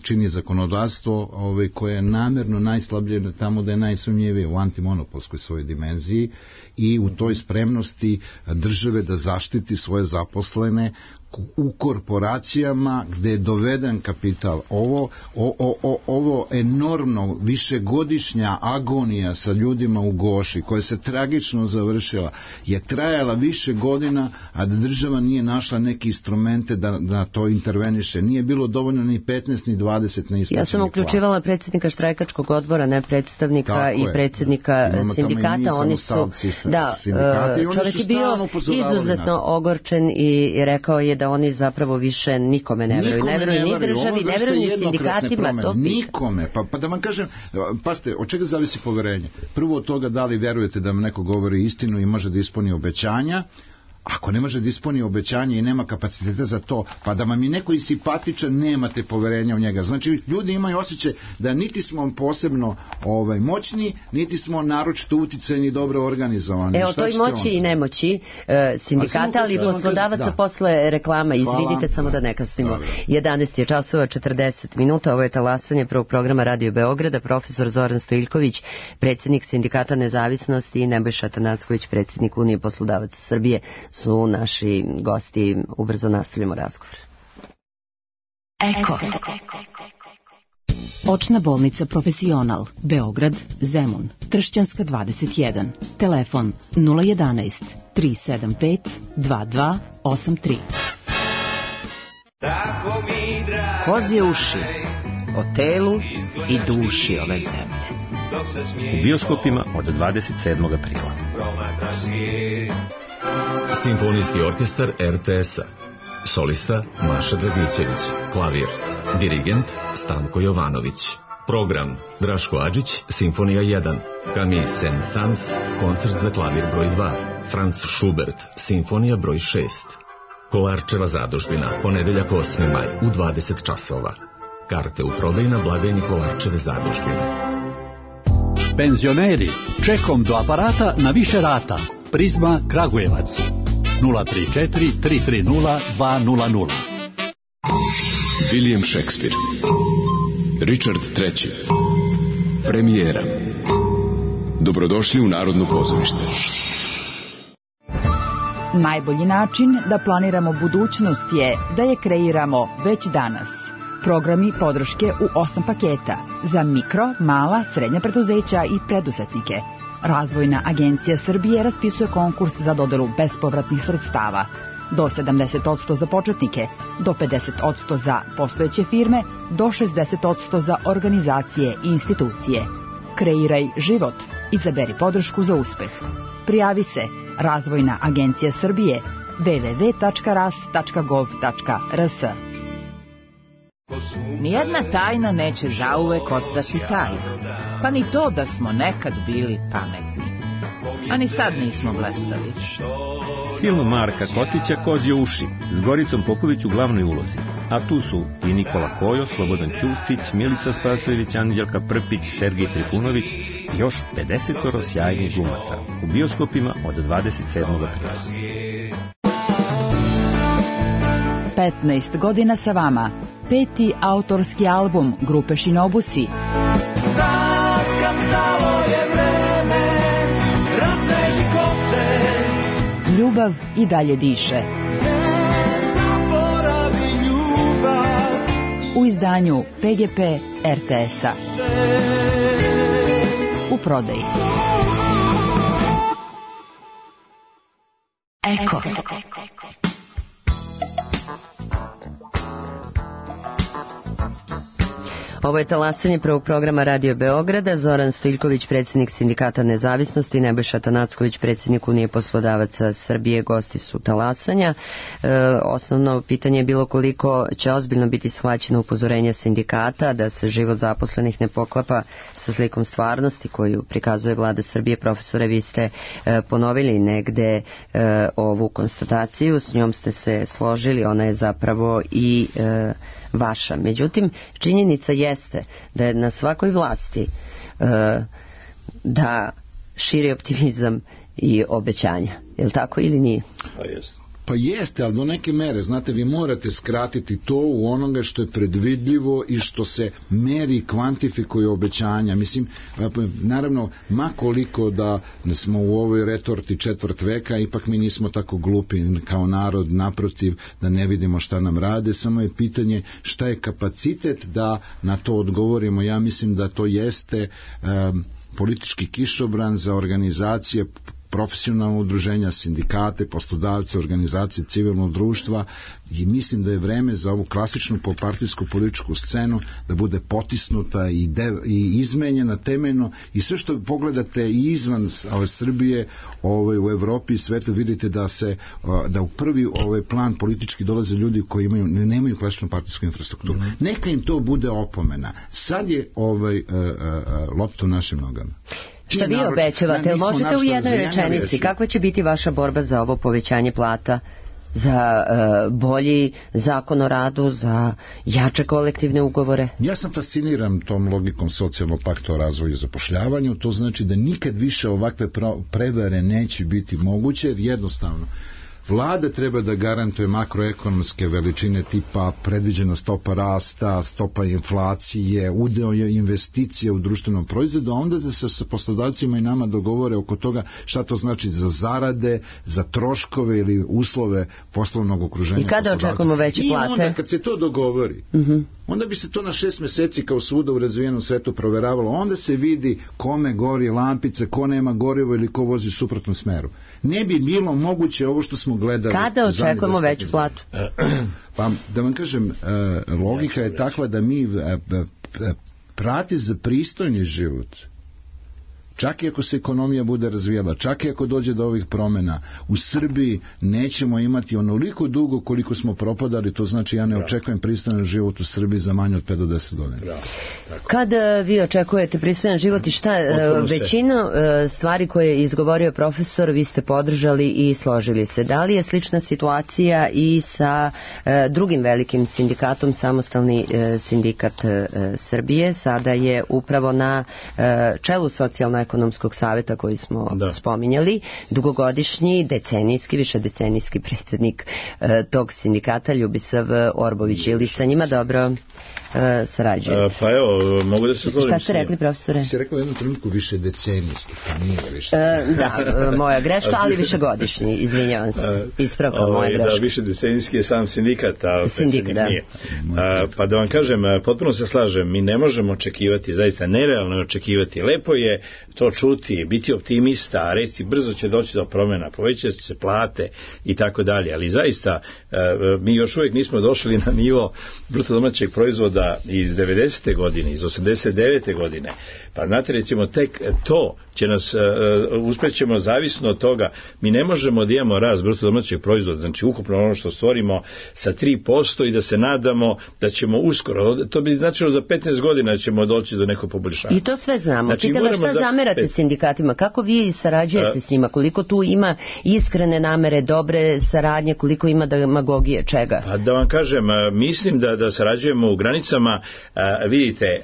čini zakonodavstvo koje je namjerno najslabije tamo da je najsumnjivije u antimonopolskoj svojoj dimenziji i u toj spremnosti države da zaštiti svoje zaposlene u korporacijama gde je doveden kapital. Ovo enormno višegodišnja agonija sa ljudima u Goši koja se tragično završila je trajala više godina, a da država nije našla neke instrumente da to interveniše. Nije bilo dovoljno ni 15 ni 20 na isplaćenih plata. Ja sam uključivala predsjednika štrajkačkog odbora, ne predstavnika tako i predsjednika sindikata. Oni su, da, čovjek je bio izuzetno ogorčen i rekao je da oni zapravo više nikome ne veruju. Ne veruju ni državi, ne veruju ni sindikatima. To nikome. Pa da vam kažem, pazite, od čega zavisi poverenje? Prvo od toga da li verujete da vam neko govori istinu i može da ispuni obećanja. Ako ne može da ispuni obećanje i nema kapaciteta za to, pa da vam je neko i simpatičan, nemate poverenja u njega. Znači, ljudi imaju osjećaj da niti smo posebno moćni, niti smo naročito uticajni i dobro organizovani. Evo, to i moći i nemoći sindikata, ali poslodavaca posle reklama. Izvidite samo da ne kasnimo. 11 je časova 40 minuta. Ovo je talasanje prvog programa Radio Beograda. Profesor Zoran Stojiljković, predsjednik Sindikata Nezavisnosti, i Nebojša Tanacković, predsjednik Unije poslodavaca Srbije, su naši gosti. Ubrzo nastavljamo razgovor. Eko. Očna bolnica Profesional, Beograd, Zemun, Tršćanska 21, telefon 011 375 2283. Kozje uši o telu i duši ove zemlje. U bioskopima od 27. aprila. Simfonijski orkestar RTS-a. Solista Maša Dragićević. Klavir. Dirigent Stanko Jovanović. Program Draško Adžić, Simfonija 1. Camille Saint-Saëns, koncert za klavir broj 2. Franz Schubert, Simfonija broj 6. Kolarčeva zadužbina, ponedeljak 8. maj u 20 časova. Karte u prodaju na blagajni Kolarčeve zadužbine. Penzioneri, čekom do aparata na više rata. Prizma Kragujevac 034 330 200. William Shakespeare, Richard III. Premijera. Dobrodošli u Narodno pozorište. Najbolji način da planiramo budućnost je da je kreiramo već danas. Programi podrške u 8 paketa za mikro, mala, srednja preduzeća i preduzetnike. Razvojna agencija Srbije raspisuje konkurs za dodelu bespovratnih sredstava. Do 70% za početnike, do 50% za postojeće firme, do 60% za organizacije i institucije. Kreiraj život. Izaberi podršku za uspeh. Prijavi se Razvojna agencija Srbije www.ras.gov.rs. Nijedna tajna neće zauvek ostati tajna, pa ni to da smo nekad bili pametni, a ni sad nismo blesavi. Film Marka Kotića Kozje uši s Goricom Popović u glavnoj ulozi, a tu su i Nikola Kojo, Slobodan Ćustić, Milica Spasojević, Anđelka Prpić, Sergij Trifunović i još 50 sjajnih glumaca. U bioskopima od 27. aprila. 15 godina sa vama. 5. autorski album grupe Shinobusi. Sad kad stalo je vreme, razveži kose. Ljubav i dalje diše. Zaboravi ljubav. U izdanju PGP RTS-a. U prodaji. Eko. Ovo je talasanje prvog programa Radio Beograda. Zoran Stojiljković, predsjednik Sindikata Nezavisnosti, Nebojša Tanacković, predsjednik Unije poslodavaca Srbije, gosti su talasanja. Osnovno pitanje je bilo koliko će ozbiljno biti shvaćeno upozorenje sindikata da se život zaposlenih ne poklapa sa slikom stvarnosti koju prikazuje vlada Srbije. Profesore, vi ste ponovili negde ovu konstataciju, s njom ste se složili, ona je zapravo i vaša. Međutim, činjenica jeste da je na svakoj vlasti da širi optimizam i obećanja. Je li tako ili nije? Pa jeste. Pa jeste, ali do neke mere, znate, vi morate skratiti to u onoga što je predvidljivo i što se meri, kvantifikuje obećanja. Mislim, naravno, ma koliko da smo u ovoj retorti četvrt veka, ipak mi nismo tako glupi kao narod, naprotiv, da ne vidimo šta nam rade, samo je pitanje šta je kapacitet da na to odgovorimo. Ja mislim da to jeste politički kišobran za organizacije, profesionalno udruženja, sindikate, poslodavce, organizacije civilnog društva, i mislim da je vreme za ovu klasičnu partijsku političku scenu da bude potisnuta i izmenjena temeljno, i sve što pogledate i izvan Srbije, u Evropi i svetu, vidite da u prvi plan politički dolaze ljudi koji nemaju klasičnu partijsku infrastrukturu. Neka im to bude opomena. Sad je lopta u našim nogama. Šta vi obećavate? Možete u jednoj rečenici, kakva će biti vaša borba za ovo povećanje plata, za bolji zakon o radu, za jače kolektivne ugovore? Ja sam fasciniran tom logikom socijalnog pakta o razvoju i zapošljavanju. To znači da nikad više ovakve prevare neće biti moguće, jer jednostavno vlada treba da garantuje makroekonomske veličine tipa predviđena stopa rasta, stopa inflacije, udeo investicije u društvenom proizvodu, a onda da se sa poslodavcima i nama dogovore oko toga šta to znači za zarade, za troškove ili uslove poslovnog okruženja. I kada očekujemo veće plate? I onda kad se to dogovori, onda bi se to na 6 meseci kao svuda u razvijenom svetu proveravalo. Onda se vidi kome gori lampice, ko nema gorivo ili ko vozi u suprotnom smeru. Ne bi bilo moguće ovo što smo gledali. Kada očekujemo veću platu? Pa da vam kažem, logika je takva da mi prati za pristojni život, čak i ako se ekonomija bude razvijala, čak i ako dođe do ovih promjena, u Srbiji nećemo imati onoliko dugo koliko smo propadali. To znači ja ne očekujem pristojan život u Srbiji za manje od 5 do 10 godina. Kada vi očekujete pristojan život i šta većinu stvari koje je izgovorio profesor vi ste podržali i složili se? Da li je slična situacija i sa drugim velikim sindikatom, Samostalni sindikat Srbije? Sada je upravo na čelu Socijalno-ekonomskog saveta koji smo spominjali, dugogodišnji, decenijski, višedecenijski predsjednik tog sindikata, Ljubisav Orbović. Ili sa njima dobro sarađujete? Pa evo, mogu da se složim. Šta ste rekli, profesore? Ste rekli u jednom trenutku višedecenijski, pa nije više. Da, moja greška, ali višegodišnji, izvinjavam se, ispravka moja greška. Da, višedecenijski je sam sindikat, a predsjednik nije. Pa da vam kažem, potpuno se slažem, mi ne možemo očekivati, zaista nerealno očekivati. Lepo je to čuti, biti optimista, reći brzo će doći do promjena, povećati se plate i tako dalje, ali zaista mi još uvijek nismo došli na nivo bruto domaćeg proizvoda iz 90. godine, iz 89. godine. Pa znate, recimo, tek to će nas, uspećemo zavisno od toga, mi ne možemo da imamo rast bruto domaćeg proizvoda, znači ukupno ono što stvorimo sa 3% i da se nadamo da ćemo uskoro, to bi značilo za 15 godina ćemo doći do nekog poboljšanja. I to sve znamo. Znači, pitam vas šta zamerate sindikatima, kako vi sarađujete s njima, koliko tu ima iskrene namere, dobre saradnje, koliko ima demagogije, čega? Pa da vam kažem, mislim da sarađujemo u granicama, vidite,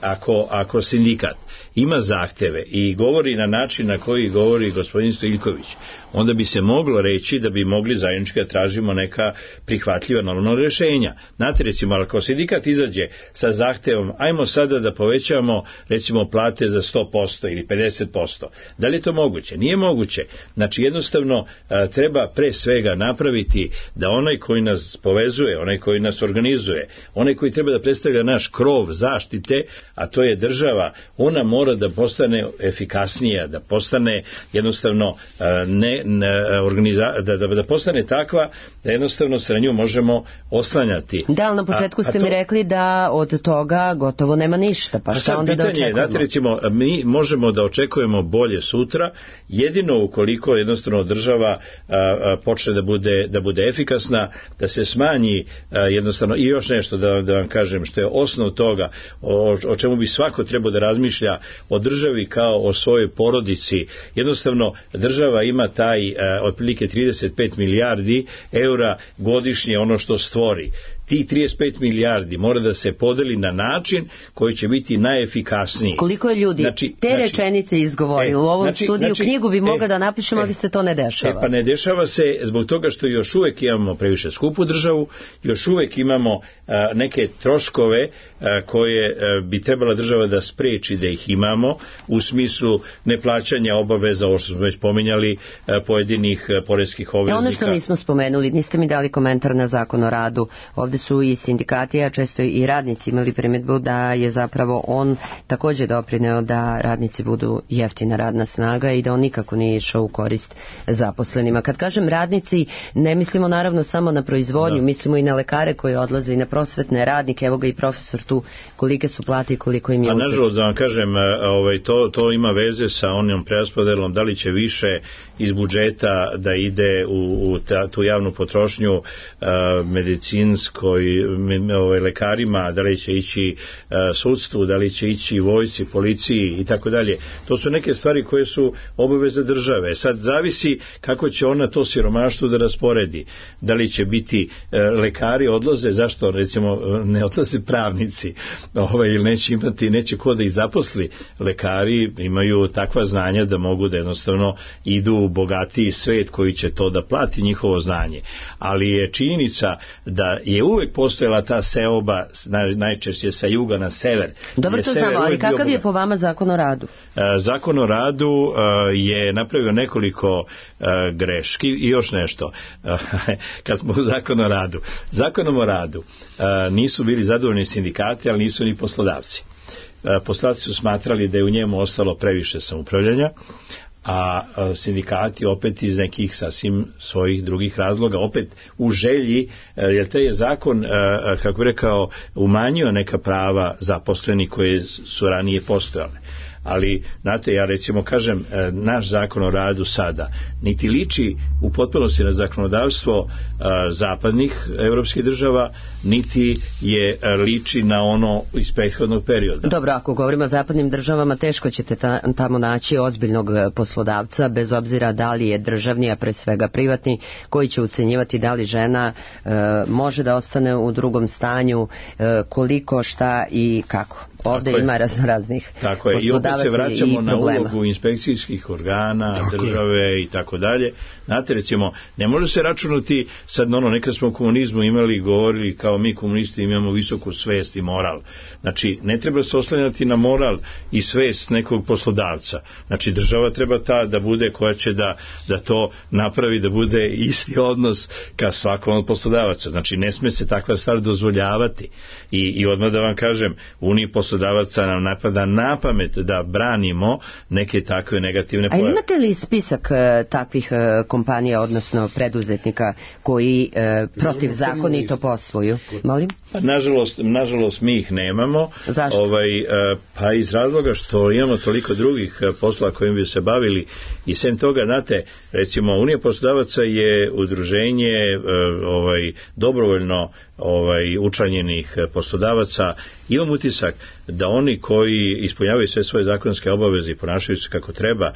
ako sindikat ima zahteve i govori na način na koji govori gospodin Stojiljković, onda bi se moglo reći da bi mogli zajednički da tražimo neka prihvatljiva normalna rješenja. Znate, recimo, ako sindikat izađe sa zahtevom, ajmo sada da povećamo recimo plate za 100% ili 50%, 30%. Da li je to moguće? Nije moguće. Znači jednostavno treba pre svega napraviti da onaj koji nas povezuje, onaj koji nas organizuje, onaj koji treba da predstavlja naš krov zaštite, a to je država, ona mora da postane efikasnija, da postane jednostavno da postane takva da jednostavno se na nju možemo oslanjati. Da, ali na početku ste mi rekli da od toga gotovo nema ništa, pa šta onda da očekujemo? Znate, recimo, mi možemo da očekujemo bolje sutra, jedino ukoliko jednostavno država počne da bude efikasna, da se smanji jednostavno, i još nešto da vam kažem, što je osnov toga, o čemu bi svako trebao da razmišlja o državi kao o svojoj porodici. Jednostavno, država ima taj otprilike 35 milijardi eura godišnje ono što stvori. Ti 35 milijardi mora da se podeli na način koji će biti najefikasniji. Koliko je ljudi te rečenice izgovorili u ovom studiju, knjigu bi mogla da napišemo, ali se to ne dešava. Pa ne dešava se zbog toga što još uvek imamo previše skupu državu, još uvek imamo neke troškove koje bi trebala država da spreči da ih imamo, u smislu neplaćanja obaveza, ovo što smo već pominjali, pojedinih poreskih obveznika. Ono što nismo spomenuli, niste mi dali komentar na Zakon o radu. Ovde su i sindikati, a često i radnici imali primjedbu da je zapravo on također doprineo da radnici budu jeftina radna snaga i da on nikako nije išao u korist zaposlenima. Kad kažem radnici, ne mislimo naravno samo na proizvodnju, mislimo i na lekare koji odlaze i na prosvetne radnike, evo ga i profesor tu, kolike su plate i koliko im je uzeti. A nažalost, da vam kažem, to ima veze sa onom preraspodelom, da li će više iz budžeta da ide u tu javnu potrošnju medicinskoj, lekarima, da li će ići sudstvu, da li će ići vojsci, policiji i tako dalje. To su neke stvari koje su obaveze države. Sad zavisi kako će ona to siromaštvo da rasporedi. Da li će biti lekari odlaze, zašto recimo ne odlaze pravnici, ili neće ko da ih zaposli. Lekari imaju takva znanja da mogu da jednostavno idu u bogatiji svet koji će to da plati njihovo znanje. Ali je činjenica da je uvek postojala ta seoba, najčešće sa juga na sever. Dobro, to znamo, ali kakav je po vama Zakon o radu? Zakon o radu je napravio nekoliko greški i još nešto. Kad smo u Zakonu o radu. Zakonom o radu nisu bili zadovoljni sindikati, ali nisu ni poslodavci. Poslodavci su smatrali da je u njemu ostalo previše samoupravljanja, a sindikati opet iz nekih sasvim svojih drugih razloga, opet u želji, jer taj je zakon, kako bi rekao, umanjio neka prava zaposlenih koje su ranije postojale. Ali, znate, ja recimo kažem, naš zakon o radu sada niti liči u potpunosti na zakonodavstvo zapadnih evropskih država, niti je liči na ono iz prethodnog perioda. Dobro, ako govorimo o zapadnim državama, teško ćete tamo naći ozbiljnog poslodavca, bez obzira da li je državni, a pre svega privatni, koji će ucenjivati da li žena može da ostane u drugom stanju, koliko, šta i kako. Ovde ima raznih poslodavaca i problema. I opet se vraćamo na ulogu inspekcijskih organa, države i tako dalje. Znate, recimo, ne može se računati, sad nekad smo u komunizmu govorili kao mi komunisti imamo visoku svest i moral. Znači, ne treba se oslanjati na moral i svest nekog poslodavca. Znači, država treba ta da bude koja će da to napravi, da bude isti odnos ka svakom od poslodavaca. Znači, ne sme se takva stvar dozvoljavati. I odmah da vam kažem, Uniji poslodavaca nam napada na pamet da branimo neke takve negativne pojave. A imate li spisak takvih kompanija, odnosno preduzetnika koji protivzakonito posluju? Molim? Nažalost mi ih nemamo. Zašto? Pa iz razloga što imamo toliko drugih posla kojim bi se bavili i sem toga, znate, recimo Unija poslodavaca je udruženje dobrovoljno učlanjenih poslodavaca. Imam utisak da oni koji ispunjavaju sve svoje zakonske obaveze i ponašaju se kako treba,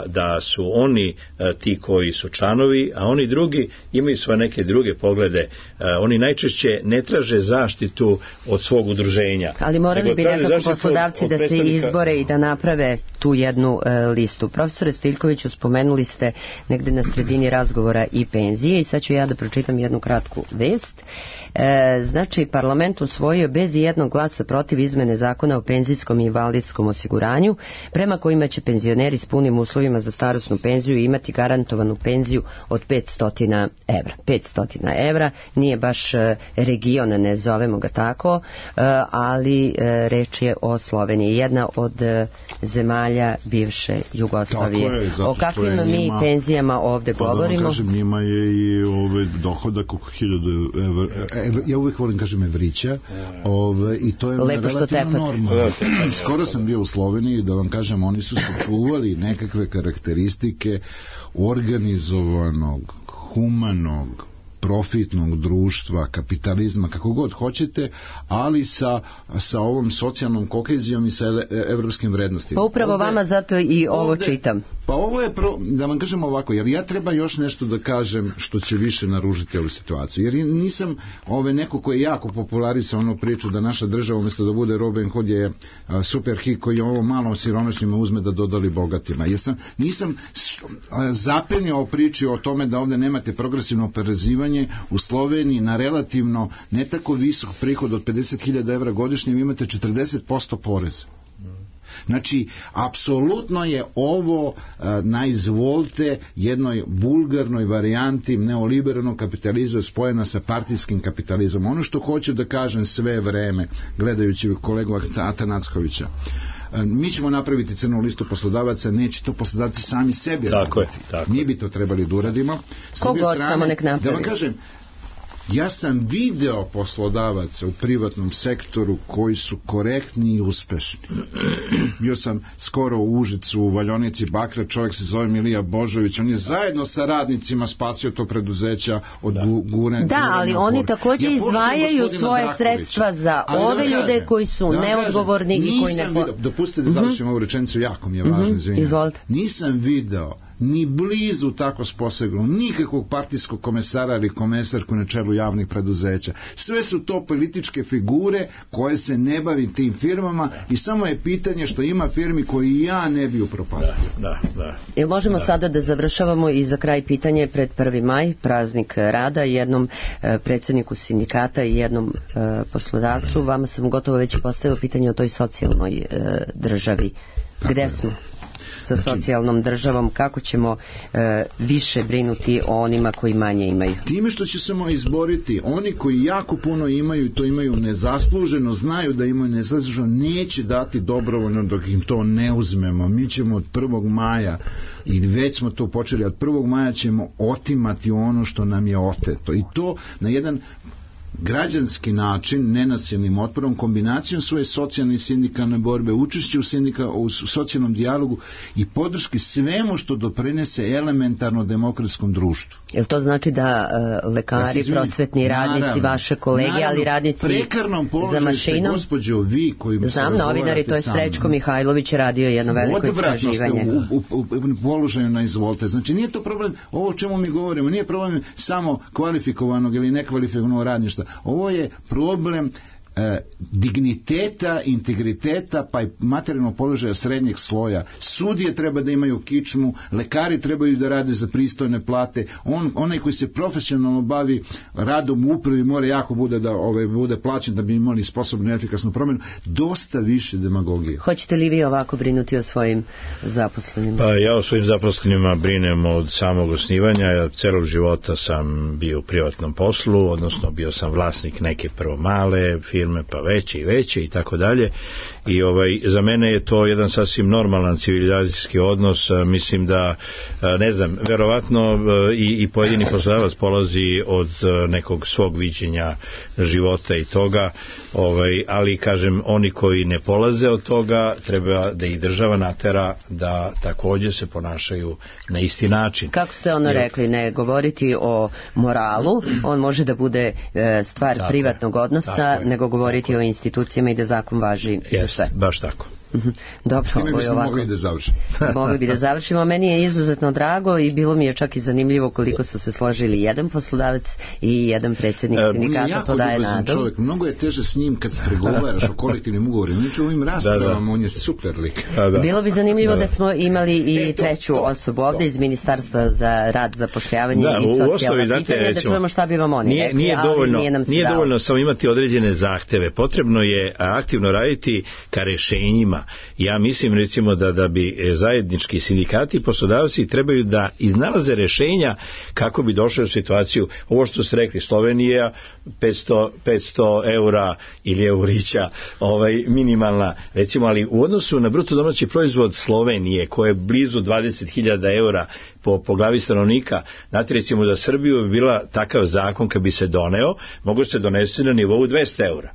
da su oni ti koji su članovi, a oni drugi imaju svoje neke druge poglede. Oni najčešće ne traže zaštitu od svog udruženja. Ali morali bi nekako poslodavci da se izbore i da naprave tu jednu listu. Profesore Stojiljkoviću, spomenuli ste negde na sredini razgovora i penzije i sad ću ja da pročitam jednu kratku vest. Znači, parlament usvojio bez jednog glasa protiv protiv izmene zakona o penzijskom i invalidskom osiguranju, prema kojima će penzioneri s punim uslovima za starosnu penziju imati garantovanu penziju od 500 evra. 500 evra, nije baš region, ne zovemo ga tako, ali reč je o Sloveniji, jedna od zemalja bivše Jugoslavije. O kakvim mi penzijama ovde govorimo? Da vam kažem, njima je i dohodak oko 1000 evra. Ja uvijek volim kažem evrića, i to je relativno normalno. Skoro sam bio u Sloveniji, da vam kažem, oni su sačuvali nekakve karakteristike organizovanog, humanog, profitnog društva, kapitalizma, kako god hoćete, ali sa ovom socijalnom kohezijom i sa evropskim vrednostima. Pa upravo vama zato i ovo čitam. Pa ovo je, da vam kažem ovako, jer ja treba još nešto da kažem što će više naružiti ovu situaciju. Jer nisam neko koji je jako popularisao onu priču da naša država umjesto da bude Robin Hood je super hik koji ovo malo siromašnjima uzme da dodali bogatima. Nisam zapenio priči o tome da ovde nemate progresivno oporezivanje. U Sloveniji na relativno ne tako visok prihod od 50.000 evra godišnje vi imate 40% poreza. Znači, apsolutno je ovo na izvolte jednoj vulgarnoj varijanti neoliberalnog kapitalizma spojena sa partijskim kapitalizmom. Ono što hoću da kažem sve vreme, gledajući kolegu Atanackovića, mi ćemo napraviti crnu listu poslodavaca, neće to poslodavci sami sebi raditi. Mi bi to trebali da uradimo. Kogod samo nek napravi. Da vam kažem, ja sam video poslodavaca u privatnom sektoru koji su korektni i uspešni. Bio sam skoro u Užicu, u Valjonici Bakra, čovjek se zove Milija Božović, on je zajedno sa radnicima spasio to preduzeća od guranja. Da, ali oni također izdvajaju svoje sredstva za ove ljude koji su neodgovorni i koji ne... Dopustite da završim ovu rečenicu, jako mi je važno, izvinjam se. Nisam video ni blizu tako sposobnog nikakvog partijskog komesara ili komesarku na čelu javnih preduzeća. Sve su to političke figure koje se ne bavi tim firmama i samo je pitanje što ima firmi koji ja ne bi upropastio. Jel možemo sada da završavamo i za kraj pitanje pred 1. maj, praznik rada, jednom predsjedniku sindikata i jednom poslodavcu. Vama sam gotovo već postavila pitanje o toj socijalnoj državi. Gde smo sa socijalnom državom, kako ćemo više brinuti o onima koji manje imaju? Time što će se izboriti, oni koji jako puno imaju, to imaju nezasluženo, znaju da imaju nezasluženo, neće dati dobrovoljno dok im to ne uzmemo. Mi ćemo od 1. maja, i već smo to počeli, od 1. maja ćemo otimati ono što nam je oteto. I to na jedan građanski način, nenasilnim otporom, kombinacijom svoje socijalne i sindikalne borbe, učešće u socijalnom dijalogu i podrški svemu što doprinese elementarno demokratskom društvu. Jel to znači da lekari, prosvetni radnici, vaše kolege, ali radnici za mašinom? Gospođo, vi koji se znam, novinari, to je Srećko Mihajlović je radio jedno veliko istraživanje. U položaju na izvolte. Znači nije to problem, ovo o čemu mi govorimo, nije problem samo kvalifikovanog ili nekvalifikovanog radništva. Ovo je problem digniteta, integriteta pa i materijalnog položaja srednjeg sloja. Sudije treba da imaju kičmu, lekari trebaju da rade za pristojne plate, onaj koji se profesionalno bavi radom u upravi mora jako bude plaćen da bi imali sposobnu i efikasnu promjenu. Dosta više demagogije. Hoćete li vi ovako brinuti o svojim zaposlenima? Pa ja o svojim zaposlenima brinem od samog osnivanja. Ja celog života sam bio u privatnom poslu, odnosno bio sam vlasnik neke prvo male firme, pa veće i tako dalje. I za mene je to jedan sasvim normalan civilizacijski odnos. Mislim da, ne znam, verovatno i pojedini poslodavac polazi od nekog svog viđenja života i toga, ali kažem, oni koji ne polaze od toga, treba da ih država natera da također se ponašaju na isti način. Kako ste rekli, ne govoriti o moralu, on može da bude stvar privatnog odnosa, nego govoriti o institucijama i da zakon važi za sve. Baš tako. Dobro, time ovo je ovako. mogli da završimo. Mogli bi da završimo. Meni je izuzetno drago i bilo mi je čak i zanimljivo koliko su se složili jedan poslodavac i jedan predsjednik sindikata, to daje nadu. Čovjek, mnogo je teže s njim kad se pregovaraš o kolektivnim ugovorima. Znači ovim raspravama on je super lik. Bilo bi zanimljivo da smo imali i treću osobu ovdje iz Ministarstva za rad, zapošljavanje i socijalna pitanja, da čujemo šta bi vam oni rekli, nije dovoljno samo imati određene zahteve. Potrebno je aktivno raditi ka rešenjima. Ja mislim recimo da bi zajednički sindikati i poslodavci trebaju da iznalaze rešenja kako bi došli u situaciju, ovo što ste rekli, Slovenija 500 eura ili eurića minimalna, recimo, ali u odnosu na bruto domaći proizvod Slovenije koja je blizu 20.000 eura po glavi stanovnika, znate, recimo za Srbiju bi bila takav zakon kad bi se doneo, mogu se donesti na nivou 200 eura.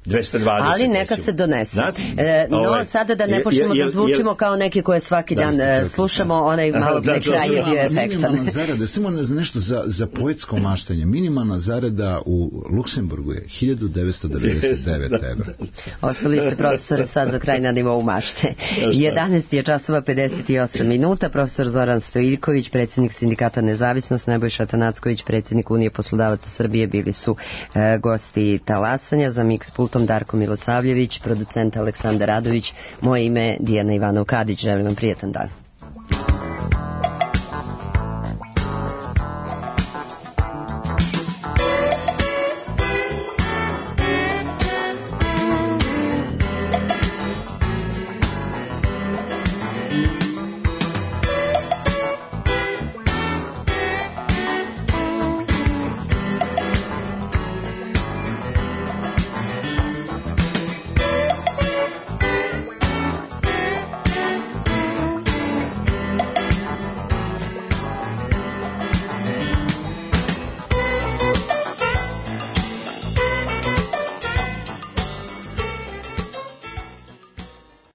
220, ali neka se donese. No, sada da ne počnemo da zvučimo kao neki koje svaki dan slušamo, onaj malo kraj je bio efektan. Minimalna zarada, samo nešto za poetsko maštanje, minimalna zarada u Luksemburgu je 1999 evra. Ostali ste, profesore, sad za kraj na nivou mašte. 11 je časova 58 minuta, profesor Zoran Stojiljković, predsjednik sindikata Nezavisnost, Nebojša Tanacković, predsjednik Unije poslodavaca Srbije, bili su gosti talasanja. Za Mix Pultom Darko Milosavljević, producent Aleksandar Radović, moje ime Dijana Ivanov-Kadić. Želim vam prijetan dan.